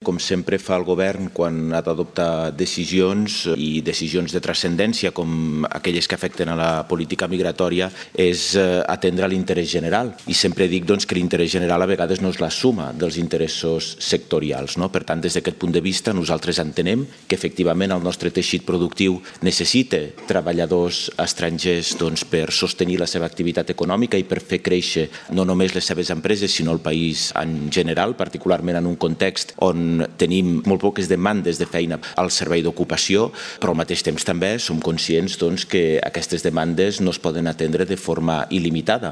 Com sempre fa el govern quan ha d'adoptar decisions i decisions de transcendència com aquelles que afecten a la política migratòria és atendre l'interès general. I sempre dic que l'interès general a vegades no és la suma dels interessos sectorials. Per tant, des d'aquest punt de vista, nosaltres entenem que efectivament el nostre teixit productiu necessita treballadors estrangers per sostenir la seva activitat econòmica i per fer créixer no només les seves empreses, sinó el país en general, particularment en un context on tenim molt poques demandes de feina al servei d'ocupació, però al mateix temps també som conscients que aquestes demandes no es poden atendre de forma il·limitada.